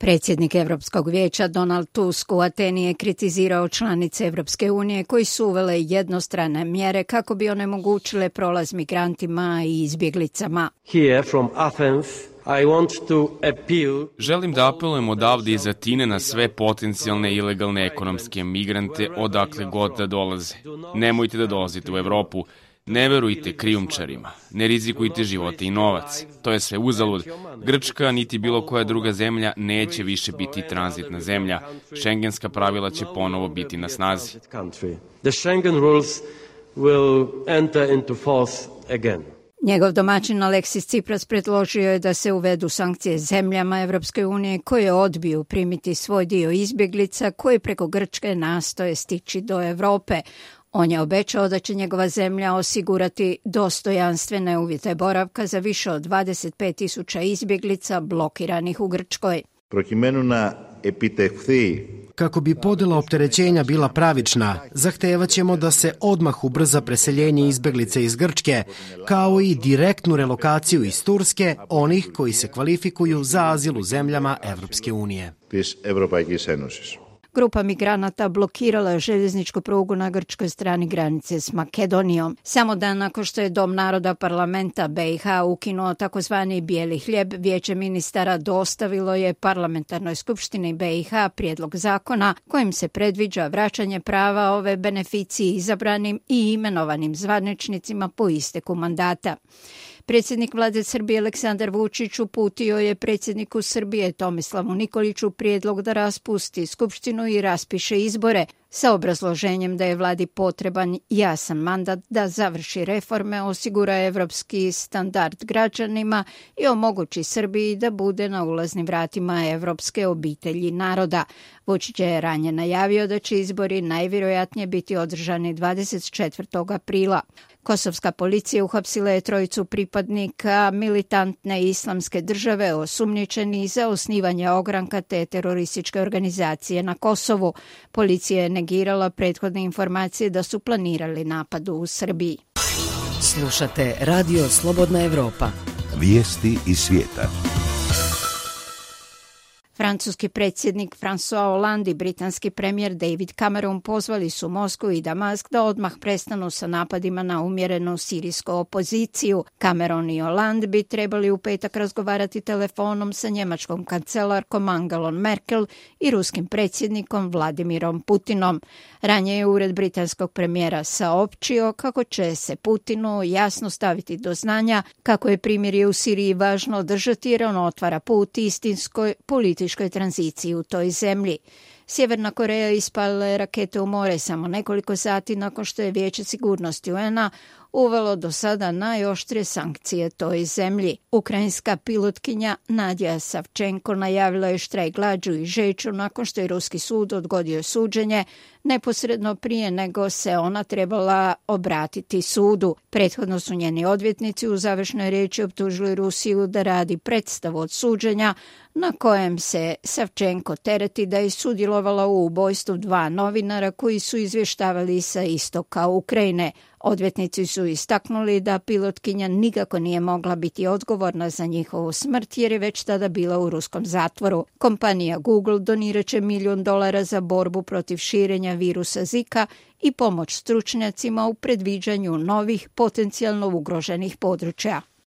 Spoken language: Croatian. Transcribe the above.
Predsjednik Europskog vijeća Donald Tusk u Ateni je kritizirao članice Europske unije koji su uvele jednostrane mjere kako bi onemogućile prolaz migrantima i izbjeglicama. Here from Athens, I want to appeal. Želim da apelujem odavde iz Atine na sve potencijalne ilegalne ekonomske migrante odakle god da dolaze. Nemojte da dolazite u Europu. Ne verujte krijumčarima, ne rizikujte živote i novac. To je sve uzalud. Grčka niti bilo koja druga zemlja neće više biti tranzitna zemlja. Šengenska pravila će ponovo biti na snazi. The Schengen rules will enter into force again. Njegov domaćin Alexis Tsipras predložio je da se uvedu sankcije zemljama Europske unije koje odbiju primiti svoj dio izbjeglica koji preko Grčke nastoje stići do Europe. On je obećao da će njegova zemlja osigurati dostojanstvene uvjete boravka za više od 25.000 izbjeglica blokiranih u Grčkoj. Kako bi podjela opterećenja bila pravična, zahtevat ćemo da se odmah ubrza preseljenje izbjeglica iz Grčke, kao i direktnu relokaciju iz Turske onih koji se kvalifikuju za azil u zemljama Evropske unije. Grupa migranata blokirala je željezničku prugu na grčkoj strani granice s Makedonijom. Samo dan nakon što je Dom naroda parlamenta BiH ukinuo takozvani bijeli hljeb, Vijeće ministara dostavilo je parlamentarnoj skupštini BiH prijedlog zakona kojim se predviđa vraćanje prava ove beneficiji izabranim i imenovanim zvaničnicima po isteku mandata. Predsjednik vlade Srbije Aleksandar Vučić uputio je predsjedniku Srbije Tomislavu Nikoliću prijedlog da raspusti skupštinu i raspiše izbore sa obrazloženjem da je vladi potreban jasan mandat da završi reforme, osigura evropski standard građanima i omogući Srbiji da bude na ulaznim vratima evropske obitelji naroda. Vučić je ranije najavio da će izbori najvjerojatnije biti održani 24. aprila. Kosovska policija uhapsila je trojicu pripadnika militantne islamske države osumnjičeni za osnivanje ogranka te terorističke organizacije na Kosovu. Policija je negirala prethodne informacije da su planirali napad u Srbiji. Slušate Radio Slobodna Evropa. Vijesti iz svijeta. Francuski predsjednik François Hollande i britanski premijer David Cameron pozvali su Moskvu i Damask da odmah prestanu sa napadima na umjerenu sirijsku opoziciju. Cameron i Hollande bi trebali u petak razgovarati telefonom sa njemačkom kancelarkom Angelom Merkel i ruskim predsjednikom Vladimirom Putinom. Ranije je ured britanskog premijera saopćio kako će se Putinu jasno staviti do znanja kako je primirje u Siriji važno održati jer on otvara put istinskoj političkoj tranziciji u toj zemlji. Sjeverna Koreja ispalila je rakete u more samo nekoliko sati nakon što je Vijeće sigurnosti UN-a uvelo do sada najoštrije sankcije toj zemlji. Ukrajinska pilotkinja Nadija Savčenko najavila je štrajk glađu i žeću nakon što je ruski sud odgodio suđenje neposredno prije nego se ona trebala obratiti sudu. Prethodno su njeni odvjetnici u završnoj riječi optužili Rusiju da radi predstavu od suđenja na kojem se Savčenko tereti da je sudjelovala u ubojstvu 2 novinara koji su izvještavali sa istoka Ukrajine. Odvjetnici su istaknuli da pilotkinja nikako nije mogla biti odgovorna za njihovu smrt jer je već tada bila u ruskom zatvoru. Kompanija Google donirat će $1 milion za borbu protiv širenja virusa Zika i pomoć stručnjacima u predviđanju novih potencijalno ugroženih područja.